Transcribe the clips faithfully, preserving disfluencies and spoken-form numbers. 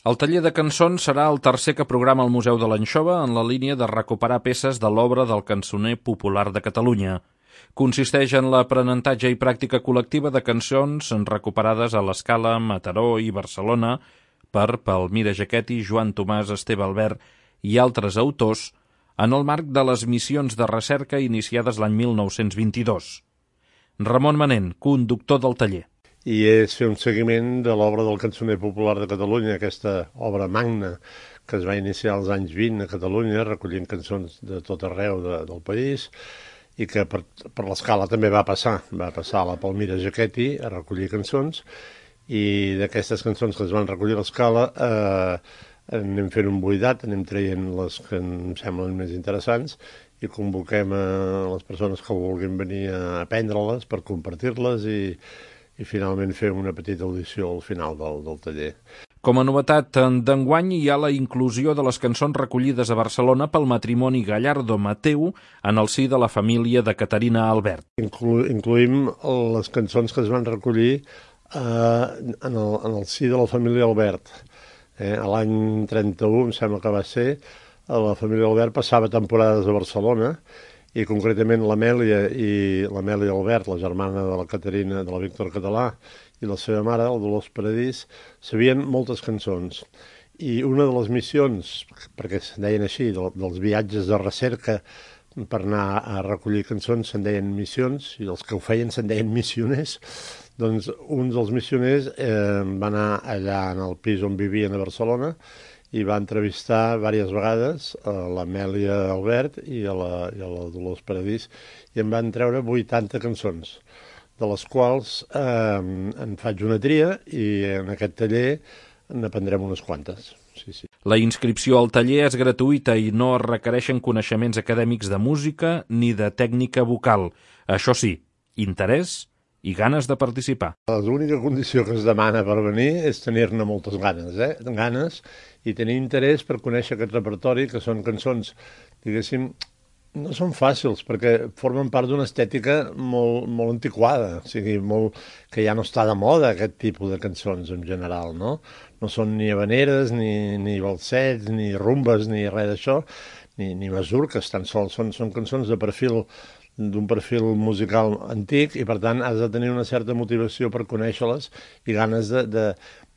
El taller de cançons serà el tercer que programa el Museu de l'Anxova en la línia de recuperar peces de l'obra del cançoner popular de Catalunya. Consisteix en l'aprenentatge i pràctica col·lectiva de cançons recuperades a l'Escala, Mataró i Barcelona per Palmira Jaquetti, Joan Tomàs, Esteve Albert i altres autors en el marc de les missions de recerca iniciades l'any mil nou-cents vint-i-dos. Ramon Manent, conductor del taller. I és fer un seguiment de l'obra del cançoner popular de Catalunya, aquesta obra magna que es va iniciar als anys vint a Catalunya, recollint cançons de tot arreu de, del país, i que per, per l'Escala també va passar. Va passar a la Palmira Jaquetti a recollir cançons, i d'aquestes cançons que es van recollir a l'Escala eh, anem fent un buidat, anem traient les que em semblen més interessants i convoquem a les persones que vulguin venir a aprendre-les per compartir-les i i finalment fer una petita audició al final del, del taller. Com a novetat d'enguany hi ha la inclusió de les cançons recollides a Barcelona pel matrimoni Gallardo-Mateu en el si de la família de Caterina Albert. Inclu incluïm les cançons que es van recollir eh, en, el, en el si de la família Albert. Eh, a l'any trenta-u, em sembla que va ser, la família Albert passava temporades a Barcelona, i concretament l'Amèlia i l'Amèlia Albert, la germana de la Caterina, de la Víctor Català, i la seva mare, el Dolors Paradís, sabien moltes cançons. I una de les missions, perquè se'n deien així, dels viatges de recerca per anar a recollir cançons, se'n deien missions, i els que ho feien se'n deien missioners, doncs un dels missioners eh, va anar allà en el pis on vivien a Barcelona i va entrevistar diverses vegades a l'Amèlia Albert i a la, i a la Dolors Paradís i en van treure vuitanta cançons, de les quals eh, en faig una tria i en aquest taller n'aprendrem unes quantes. Sí, sí. La inscripció al taller és gratuïta i no es requereixen coneixements acadèmics de música ni de tècnica vocal. Això sí, interès i ganes de participar. L'única condició que es demana per venir és tenir-ne moltes ganes, eh? ganes i tenir interès per conèixer aquest repertori, que són cançons, diguéssim, no són fàcils, perquè formen part d'una estètica molt, molt antiquada, o sigui, molt, que ja no està de moda aquest tipus de cançons en general, no? No són ni habaneres, ni, ni balsets, ni rumbes, ni res d'això, ni, ni masurques, tan sols són, són cançons de perfil d'un perfil musical antic i, per tant, has de tenir una certa motivació per conèixer-les i ganes de, de,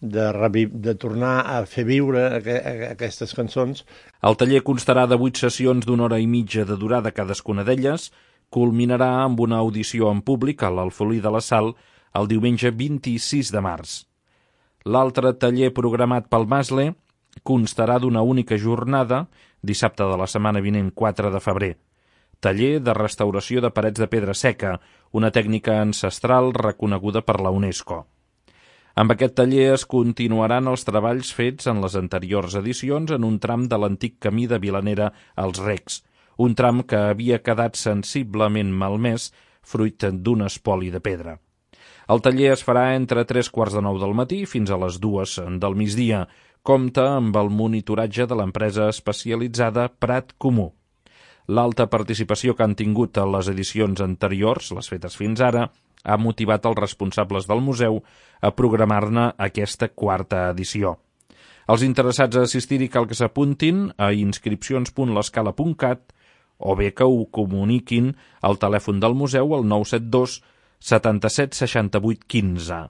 de, de tornar a fer viure aqu aquestes cançons. El taller constarà de vuit sessions d'una hora i mitja de durada cadascuna d'elles, culminarà amb una audició en públic a l'Alfolí de la Sal el diumenge vint-i-sis de març. L'altre taller programat pel Masle constarà d'una única jornada, dissabte de la setmana vinent, quatre de febrer. Taller de restauració de parets de pedra seca, una tècnica ancestral reconeguda per la UNESCO. Amb aquest taller es continuaran els treballs fets en les anteriors edicions en un tram de l'antic camí de Vilanera als Recs, un tram que havia quedat sensiblement malmès fruit d'un espoli de pedra. El taller es farà entre tres quarts de nou del matí fins a les dues del migdia. Compta amb el monitoratge de l'empresa especialitzada Prat Comú. L'alta participació que han tingut a les edicions anteriors, les fetes fins ara, ha motivat els responsables del museu a programar-ne aquesta quarta edició. Els interessats a assistir-hi cal que s'apuntin a inscripcions punt l'escala punt cat o bé que ho comuniquin al telèfon del museu al nou set dos setanta-set seixanta-vuit quinze.